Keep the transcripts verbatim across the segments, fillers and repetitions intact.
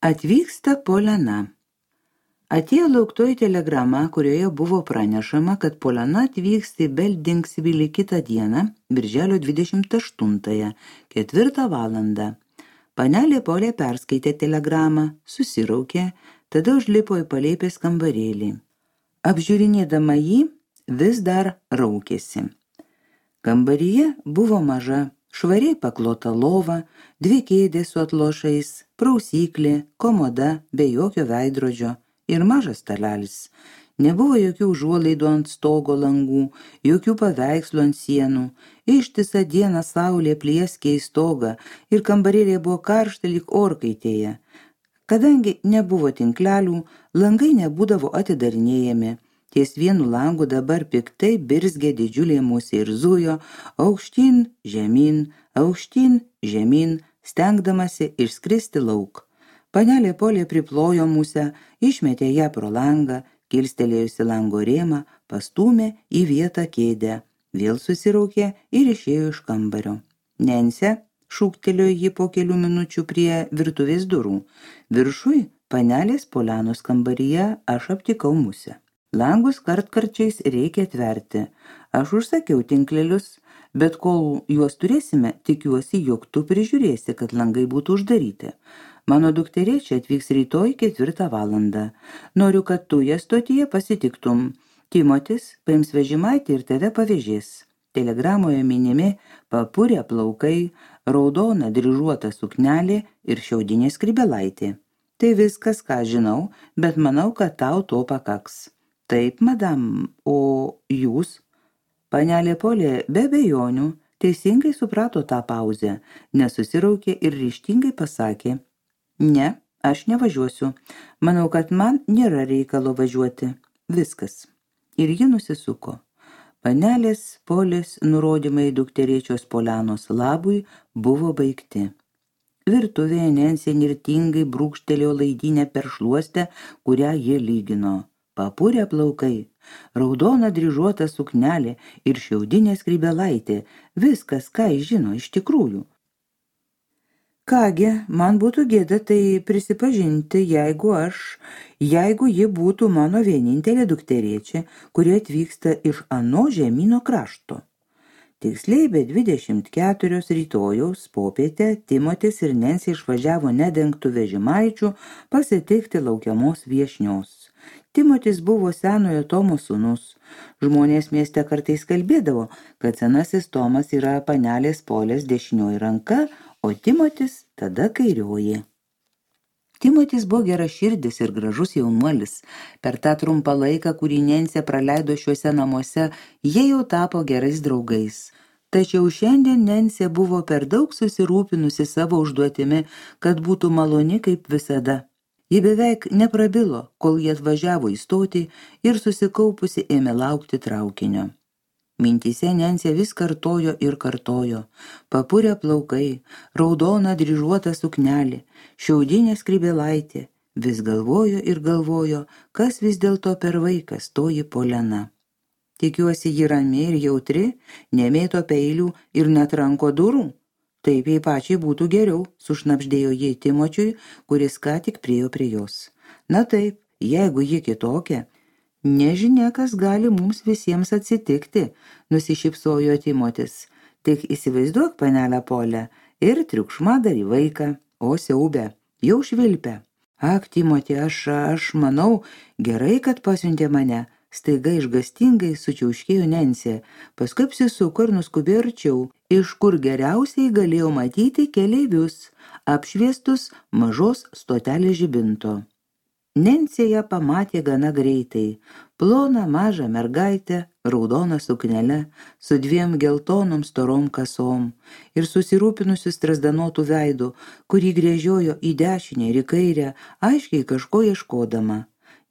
Atvyksta Polena. Atėjo lauktoji telegrama, kurioje buvo pranešama, kad Polena atvyksta į Beldingsvilį kitą dieną, birželio dvidešimt aštuntąją, ketvirtą valandą. Panelė Polė perskaitė telegramą, susiraukė, tada užlipo į palėpės kambarėlį. Apžiūrinėdama jį, vis dar raukėsi. Kambaryje buvo maža, švariai paklota lova, dvi kėdės su atlošais, prausyklė, komoda be jokio veidrodžio ir mažas stalelis. Nebuvo jokių užuolaidų ant stogo langų, jokių paveikslų ant sienų. Ištisą dieną saulė plieskė į stogą ir kambarėlė buvo karšta lyg orkaitėje. Kadangi nebuvo tinklelių, langai nebūdavo atidarinėjami. Ties vienu langu dabar piktai birzgė didžiulė musė ir zujo, aukštyn, žemyn, aukštyn, žemyn, stengdamasi išskristi lauk. Panelė Polė priplojo musę, išmetė ją pro langą, kilstelėjusi lango rėmą, pastūmė į vietą kėdę, vėl susiraukė ir išėjo iš kambario. Nensė, šūktelėjo ji po kelių minučių prie virtuvės durų. Viršui, panelės Polenos kambaryje, aš aptikau musę. Langus kartkarčiais reikia atverti. Aš užsakiau tinklelius, bet kol juos turėsime, tikiuosi, jog tu prižiūrėsi, kad langai būtų uždaryti. Mano dukterėčia atvyks rytoj ketvirtą valandą. Noriu, kad tu ją stotyje pasitiktum. Timotis paims vežimaitį ir tave pavežės. Telegramoje minimi papurė plaukai, raudona dryžuota suknelė ir šiaudinė skrybelaitė. Tai viskas, ką žinau, bet manau, kad tau to pakaks. Taip, madam, o jūs? Panelė Polė be abejonių teisingai suprato tą pauzę, nesusiraukė ir ryžtingai pasakė: Ne, aš nevažiuosiu. Manau, kad man nėra reikalo važiuoti. Viskas. Ir ji nusisuko. Panelės Polės nurodymai dukterėčios Polenos labui buvo baigti. Virtuvėje Nensė nirtingai brūkštelėjo laidinę per šluostę, kurią jie lygino. Papurė plaukai, raudona dryžuota suknelė ir šiaudinė skrybelaitė. Viskas, ką jis žino iš tikrųjų. Kągi, man būtų gėda tai prisipažinti, jeigu aš, jeigu ji būtų mano vienintelė dukterėčia, kuri atvyksta iš ano žemyno krašto. Tiksliai be dvidešimt keturios rytojaus popietę Timotis ir Nensė išvažiavo nedengtų vežimaičių pasitikti laukiamos viešnios. Timotis buvo senojo Tomo sūnus. Žmonės mieste kartais kalbėdavo, kad senasis Tomas yra panelės Polės dešinioji ranka, o Timotis tada kairioji. Timotis buvo geraširdis ir gražus jaunuolis. Per tą trumpą laiką, kurį Nensė praleido šiuose namuose, jie jau tapo gerais draugais. Tačiau šiandien Nensė buvo per daug susirūpinusi savo užduotimi, kad būtų maloni kaip visada. Ji beveik neprabilo, kol jie atvažiavo į stotį ir susikaupusi ėmė laukti traukinio. Mintyse Nensė vis kartojo ir kartojo. Papurė plaukai, raudona dryžuota suknelė, šiaudinė skrybelaitė. Vis galvojo ir galvojo, kas vis dėlto per vaikas toji Polena. Tikiuosi, ji rami ir jautri, nemėto peilių ir netranko durų. Taip jai pačiai būtų geriau, sušnapždėjo jai Timočiui, kuris ką tik priejo prie jos. Na taip, jeigu ji kitokia, nežinia, kas gali mums visiems atsitikti, nusišypsojo Timotis. Tik įsivaizduok, panelę Polę, ir triukšmadarį vaiką, o siaubę, jau švilpia. Ak, Timoti, aš, aš manau, gerai, kad pasiuntė mane. Staiga išgastingai sučiauškėjo Nensė, paskui apsisuko ir nuskubėjo arčiau, iš kur geriausiai galėjo matyti keleivius, apšviestus mažos stotelės žibinto. Nensė ją pamatė gana greitai, ploną mažą mergaitę, raudoną suknelę, su dviem geltonom storom kasom ir susirūpinusiu strazdanotų veidu, kurį gręžiojo į dešinę ir į kairę, aiškiai kažko ieškodama.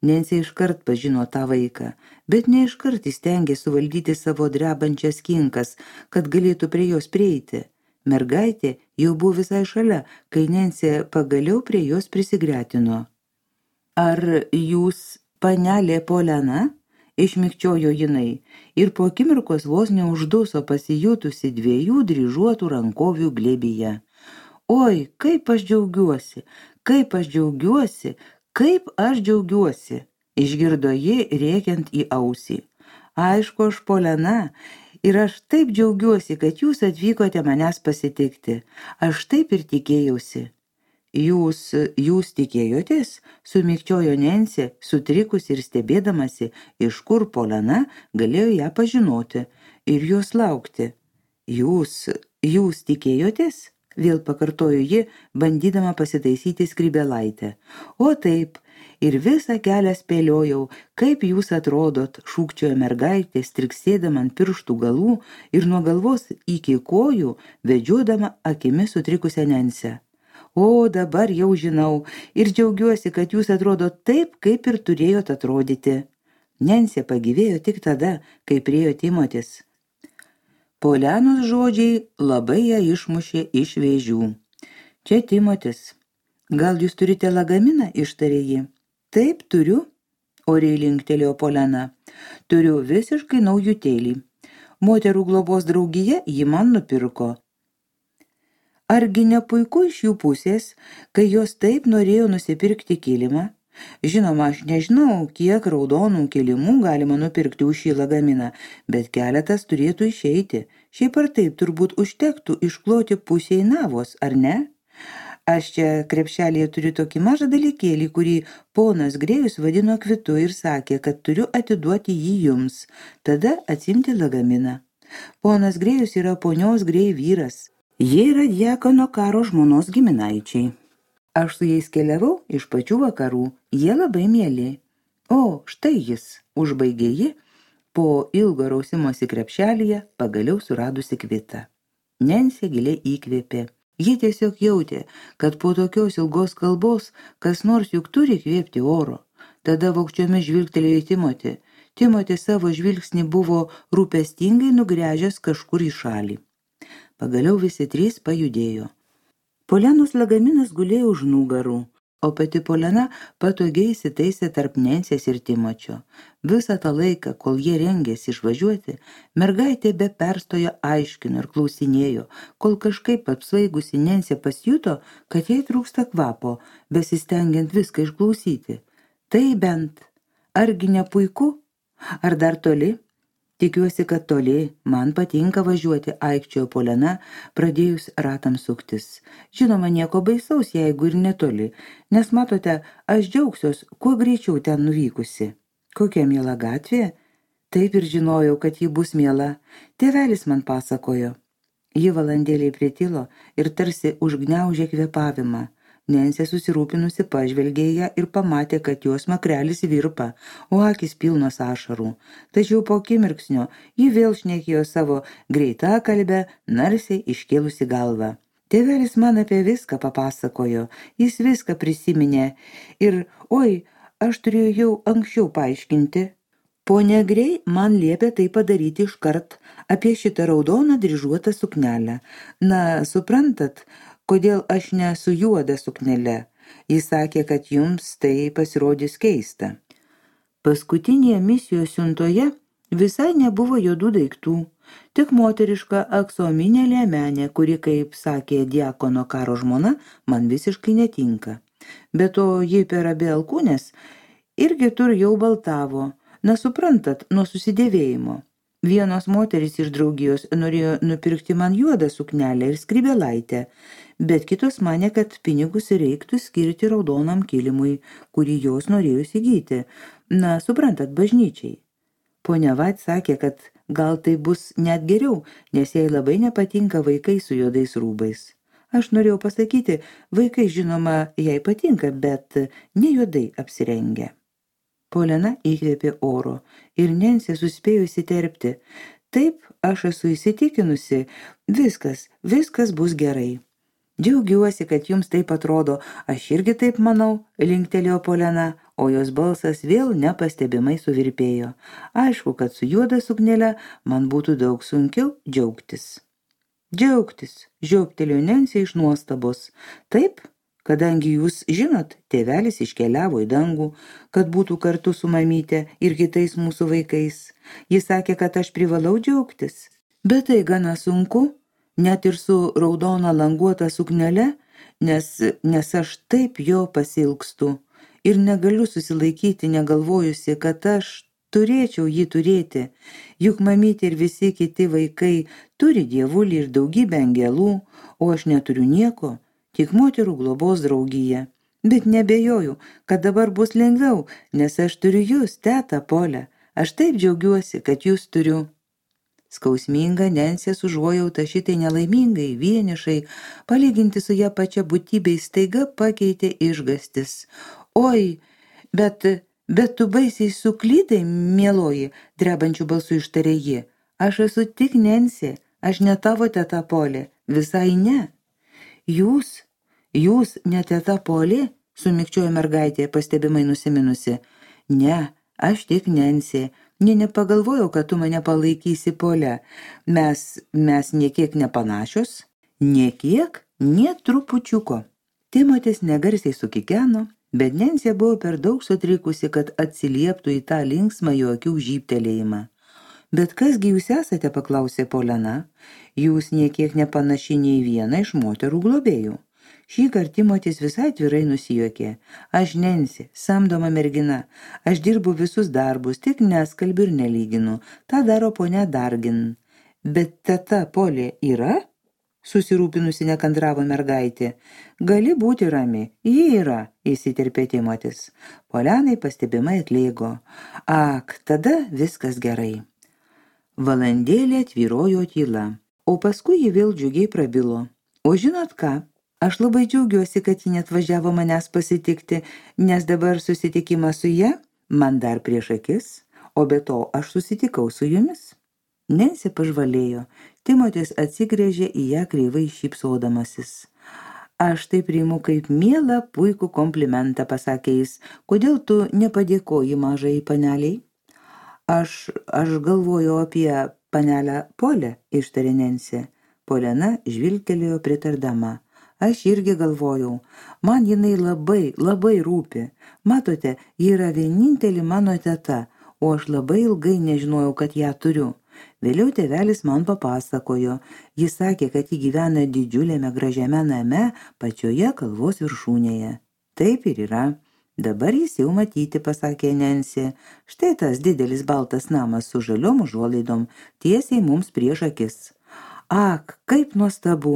Nensė iškart pažino tą vaiką, bet ne iškart įstengė suvaldyti savo drebančias kinkas, kad galėtų prie jos prieiti. Mergaitė jau buvo visai šalia, kai Nensė pagaliau prie jos prisigretino. Ar jūs, panelė Polena? Išmikčiojo jinai ir po akimirkos vos neužduso pasijutusi dviejų dryžuotų rankovių glėbyje. Oi, kaip aš džiaugiuosi, kaip aš džiaugiuosi, kaip aš džiaugiuosi, išgirdo ji rėkiant į ausį. Aišku, aš Polena, ir aš taip džiaugiuosi, kad jūs atvykote manęs pasitikti. Aš taip ir tikėjausi. Jūs, jūs tikėjotės, sumikčiojo Nensė, sutrikusi ir stebėdamasi, iš kur Polena galėjo ją pažinoti ir jos laukti. Jūs, jūs tikėjotės? Vėl pakartojo ji, bandydama pasitaisyti skrybėlaitę. O taip, ir visą kelią spėliojau, kaip jūs atrodot, šūkčiojo mergaitė, striksėdama ant pirštų galų ir nuo galvos iki kojų, vedžiodama akimis sutrikusią Nensę. O, dabar jau žinau ir džiaugiuosi, kad jūs atrodo taip, kaip ir turėjot atrodyti. Nensė pagyvėjo tik tada, kai priėjo Timotis. Polenos žodžiai labai ją išmušė iš vėžių. Čia Timotis. Gal jūs turite lagaminą, ištarė ji. Taip, turiu, oriai linktelėjo Polena. Turiu visiškai naujutėlį. Moterų globos draugija jį man nupirko. Argi ne puiku iš jų pusės, kai jos taip norėjo nusipirkti kilimą? Žinoma, aš nežinau, kiek raudonų kilimų galima nupirkti už šį lagaminą, bet keletas turėtų išeiti. Šiaip ar taip turbūt užtektų iškloti pusiai navos, ar ne? Aš čia krepšelėje turiu tokį mažą dalykėlį, kurį ponas Grėjus vadino kvitu ir sakė, kad turiu atiduoti jį jums, tada atsimti lagaminą. Ponas Grėjus yra ponios Grėj vyras. Jie yra Diakono Karo žmonos giminaičiai. Aš su jais keliavau iš pačių vakarų, jie labai mieli. O, štai jis, užbaigė ji, po ilgo rausimosi krepšelyje pagaliau suradusi kvitą. Nensė giliai įkvėpė. Ji tiesiog jautė, kad po tokios ilgos kalbos kas nors juk turi kvėpti oro. Tada vogčiomis žvilgtelėjo į Timotį. Timotis savo žvilgsnį buvo rūpestingai nugręžęs kažkur į šalį. Pagaliau visi trys pajudėjo. Polenos lagaminas gulėjo už nugarų, o pati Polena patogiai įsitaisė tarp Nensės ir Timočio. Visą tą laiką, kol jie rengėsi išvažiuoti, mergaitė be perstojo aiškino ir klausinėjo, kol kažkaip apsvaigusi Nensė pasijuto, kad jai trūksta kvapo, besistengiant viską išklausyti. Tai bent, argi ne puiku? Ar dar toli? Tikiuosi, kad toli, man patinka važiuoti, aikčiojo Polena, pradėjus ratams suktis. Žinoma, nieko baisaus, jeigu ir netoli, nes matote, aš džiaugsiuos, kuo greičiau ten nuvykusi. Kokia miela gatvė? Taip ir žinojau, kad ji bus miela. Tėvelis man pasakojo. Ji valandėliai pritilo ir tarsi užgniaužė kvėpavimą. Nensė susirūpinusi pažvelgė ją ir pamatė, kad jos makrelis virpa, o akis pilnos ašarų. Tačiau po akimirksnio ji vėl šnekėjo savo greitą kalbę, narsiai iškėlusi galvą. Tėvelis man apie viską papasakojo, jis viską prisiminė ir, oi, aš turėjau jau anksčiau paaiškinti. Ponia Grey man liepė tai padaryti iškart apie šitą raudoną dryžuotą suknelę. Na, suprantat, kodėl aš ne su juoda suknele. Jis sakė, kad jums tai pasirodys keista. Paskutinėje misijos siuntoje visai nebuvo juodų daiktų, tik moteriška aksominė liemenė, kuri, kaip sakė Diakono Karo žmona, man visiškai netinka. Be to, ji per abi alkūnes irgi tur jau baltavo, na suprantat, nuo susidėvėjimo. Vienos moterys iš draugijos norėjo nupirkti man juodą suknelę ir skrybėlaitę, bet kitos manė, kad pinigus reiktų skirti raudonam kilimui, kurį jos norėjo įsigyti. Na, suprantat, bažnyčiai. Ponia Vat sakė, kad gal tai bus net geriau, nes jai labai nepatinka vaikai su juodais rūbais. Aš norėjau pasakyti, vaikai žinoma jai patinka, bet ne juodai apsirengę. Polena įkvėpė oro ir Nensė suspėjo įsiterpti. Taip, aš esu įsitikinusi, viskas, viskas bus gerai. Džiaugiuosi, kad jums taip atrodo, aš irgi taip manau, linktelėjo Polena, o jos balsas vėl nepastebimai suvirpėjo. Aišku, kad su juoda suknele man būtų daug sunkiau džiaugtis. Džiaugtis, žioptelėjo Nensė iš nuostabos. Taip? Kadangi jūs žinot, tėvelis iškeliavo į dangų, kad būtų kartu su mamyte ir kitais mūsų vaikais. Jis sakė, kad aš privalau džiaugtis. Bet tai gana sunku, net ir su raudona languota suknele, nes, nes aš taip jo pasilgstu ir negaliu susilaikyti, negalvojusi, kad aš turėčiau jį turėti. Juk mamytė ir visi kiti vaikai turi dievulį ir daugybę angelų, o aš neturiu nieko, tik moterų globos draugiją. Bet nebejoju, kad dabar bus lengviau, nes aš turiu jūs, teta Polę. Aš taip džiaugiuosi, kad jūs turiu. Skausminga Nensės užuojauta šitai nelaimingai, vienišai, palyginti su ją pačia būtybei staiga pakeitė išgastis. Oi, bet, bet tu baisiai suklydai, mieloji, drebančių balsų ištarė ji. Aš esu tik Nensė, aš ne tavo teta Polė, visai ne. Jūs, jūs ne teta Polė, sumikčiojo mergaitė, pastebimai nusiminusi. Ne, aš tik Nensė. Nė nepagalvojau, kad tu mane palaikysi, Polė. Mes, mes niekiek nepanašios? Niekiek? Nė trupučiuko. Timotis negarsiai sukikeno, bet Nensė buvo per daug sutrikusi, kad atsilieptų į tą linksmą jo akių žybtelėjimą. Bet kasgi jūs esate, paklausė Polena. Jūs niekiek nepanaši nei vieną iš moterų globėjų. Šį kartą Timotis visai atvirai nusijuokė. Aš Nensė, samdoma mergina. Aš dirbu visus darbus, tik neskalbiu ir nelyginu. Ta daro ponia Dargin. Bet teta Polė yra? Susirūpinusi nekandravo mergaitė. Gali būti rami. Ji yra, įsiterpė Timotis. Polenai pastebimai atlėgo. Ak, tada viskas gerai. Valandėlė tvyrojo tyla, o paskui ji vėl džiugiai prabilo. O žinot ką? Aš labai džiaugiuosi, kad ji net važiavo manęs pasitikti, nes dabar susitikimas su ja man dar prieš akis, o be to aš susitikau su jumis. Nensė pažvalėjo, Timotis atsigrėžė į ją kreivai šypsodamasis. Aš tai priimu kaip mielą puikų komplimentą, pasakė jis, kodėl tu nepadėkoji mažai paneliai? Aš, aš galvoju apie panelę Polę, ištarė Nensė. Polena žvilgtelėjo pritardama. Aš irgi galvojau, man jinai labai, labai rūpi. Matote, ji yra vienintelė mano teta, o aš labai ilgai nežinojau, kad ją turiu. Vėliau tėvelis man papasakojo. Jis sakė, kad ji gyvena didžiuliame gražiame name pačioje kalvos viršūnėje. Taip ir yra. Dabar jis jau matyti, pasakė Nensė. Štai tas didelis baltas namas su žaliom užuolaidom, tiesiai mums prieš akis. Ak, kaip nuostabu,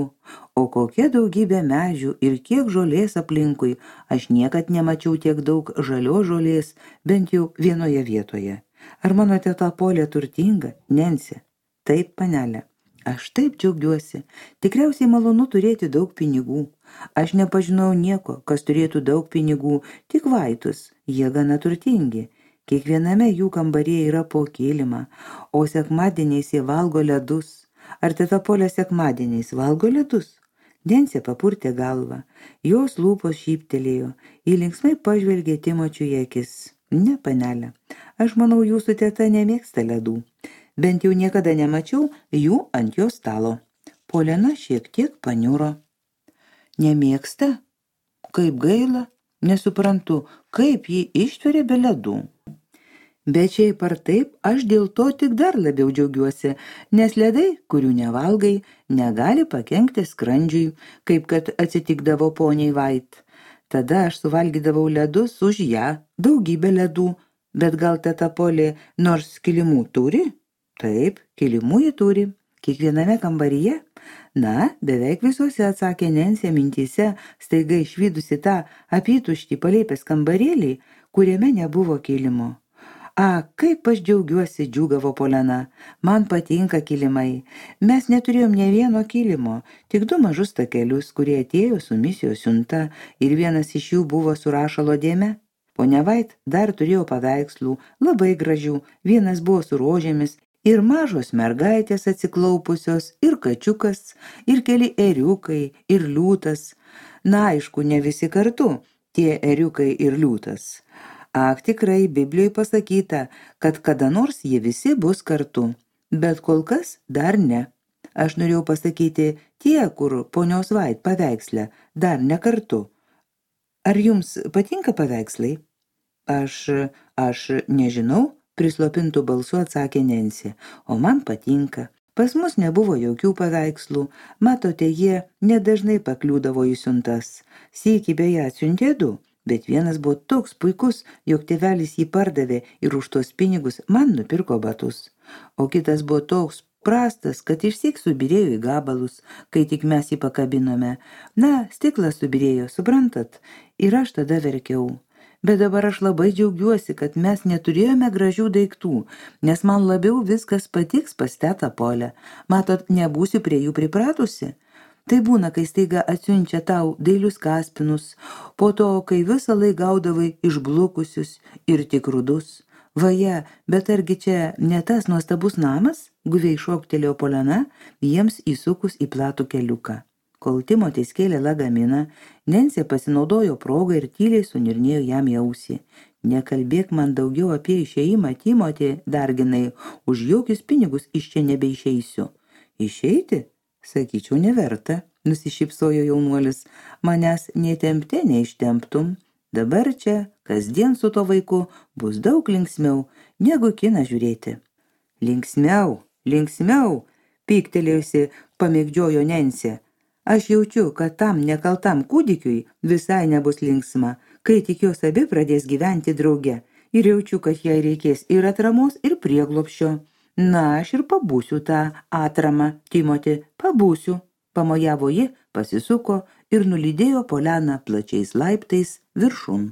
o kokia daugybė medžių ir kiek žolės aplinkui, aš niekad nemačiau tiek daug žalios žolės, bent jau vienoje vietoje. Ar mano teta Polė turtinga, Nensė? Taip, panelė, aš taip džiaugiuosi, tikriausiai malonu turėti daug pinigų. Aš nepažinau nieko, kas turėtų daug pinigų, tik vaitus, jie gana turtingi. Kiekviename jų kambaryje yra po kilimą, o sekmadieniais jie valgo ledus. Ar teta Polė sekmadieniais valgo ledus? Nensė papurtė galvą. Jos lūpos šyptelėjo. Ji linksmai pažvelgė Timočiui į akis. Ne, panelė, aš manau, jūsų teta nemėgsta ledų. Bent jau niekada nemačiau jų ant jos stalo. Polena šiek tiek paniuro. Nemėgsta? Kaip gaila? Nesuprantu, kaip ji ištveria be ledų. Bet šiaip ar taip, aš dėl to tik dar labiau džiaugiuosi, nes ledai, kurių nevalgai, negali pakenkti skrandžiui, kaip kad atsitikdavo poniai Vait. Tada aš suvalgydavau ledus už ją, daugybę ledų, bet gal teta Polė nors kilimų turi? Taip, kilimų ji turi. Kiekviename kambaryje? Na, beveik visuose, atsakė Nensė mintyse, staiga išvydusi tą apytuštį palėpės kambarėlį, kuriame nebuvo kilimo. A, kaip aš džiaugiuosi, džiūgavo Polena. Man patinka kilimai. Mes neturėjom ne vieno kilimo, tik du mažus takelius, kurie atėjo su misijos siunta ir vienas iš jų buvo su rašalo dėme. Ponia Vait dar turėjo paveikslų, labai gražių, vienas buvo su rožėmis ir mažos mergaitės atsiklaupusios, ir kačiukas, ir keli ėriukai, ir liūtas. Na, aišku, ne visi kartu, tie ėriukai ir liūtas. Ak, tikrai, Biblijoje pasakyta, kad kada nors jie visi bus kartu, bet kol kas dar ne. Aš norėjau pasakyti tie, kur ponios Vait paveiksle, dar ne kartu. Ar jums patinka paveikslai? Aš, aš nežinau, prislopintų balsu atsakė Nensė, o man patinka. Pas mus nebuvo jokių paveikslų, matote, jie nedažnai pakliūdavo į siuntas. Sykį beje atsiuntė du, bet vienas buvo toks puikus, jog tėvelis jį pardavė ir už tuos pinigus man nupirko batus. O kitas buvo toks prastas, kad išsyk subirėjo į gabalus, kai tik mes jį pakabinome. Na, stiklas subirėjo, suprantat, ir aš tada verkiau. Bet dabar aš labai džiaugiuosi, kad mes neturėjome gražių daiktų, nes man labiau viskas patiks pas tetą Polę. Matot, nebūsiu prie jų pripratusi. Tai būna, kai staiga atsiunčia tau dailius kaspinus, po to, kai visą laik gaudavai išblukusius ir tik rudus. Vaje, bet argi čia ne tas nuostabus namas? Guviai šoktelėjo Poliana, jiems įsukus į platų keliuką. Kol Timotis kėlė lagaminą, Nensė pasinaudojo progą ir tyliai sunirnėjo jam į ausį. Nekalbėk man daugiau apie išėjimą, Timoti, darginai, už jokius pinigus iš čia nebeišeisiu. Išeiti? Sakyčiau, neverta, nusišypsojo jaunuolis. Manęs netempte neištemptum. Dabar čia, kasdien su to vaiku, bus daug linksmiau, negu kiną žiūrėti. Linksmiau, linksmiau, pyktelėjusi pamėgdžiojo Nensė. Aš jaučiu, kad tam nekaltam kūdikiui visai nebus linksma, kai tik jos abi pradės gyventi drauge. Ir jaučiu, kad jai reikės ir atramos, ir prieglobsčio. Na, aš ir pabūsiu tą atramą, Timoti, pabūsiu. Pamojavo ji, pasisuko ir nulydėjo Polianą plačiais laiptais viršun.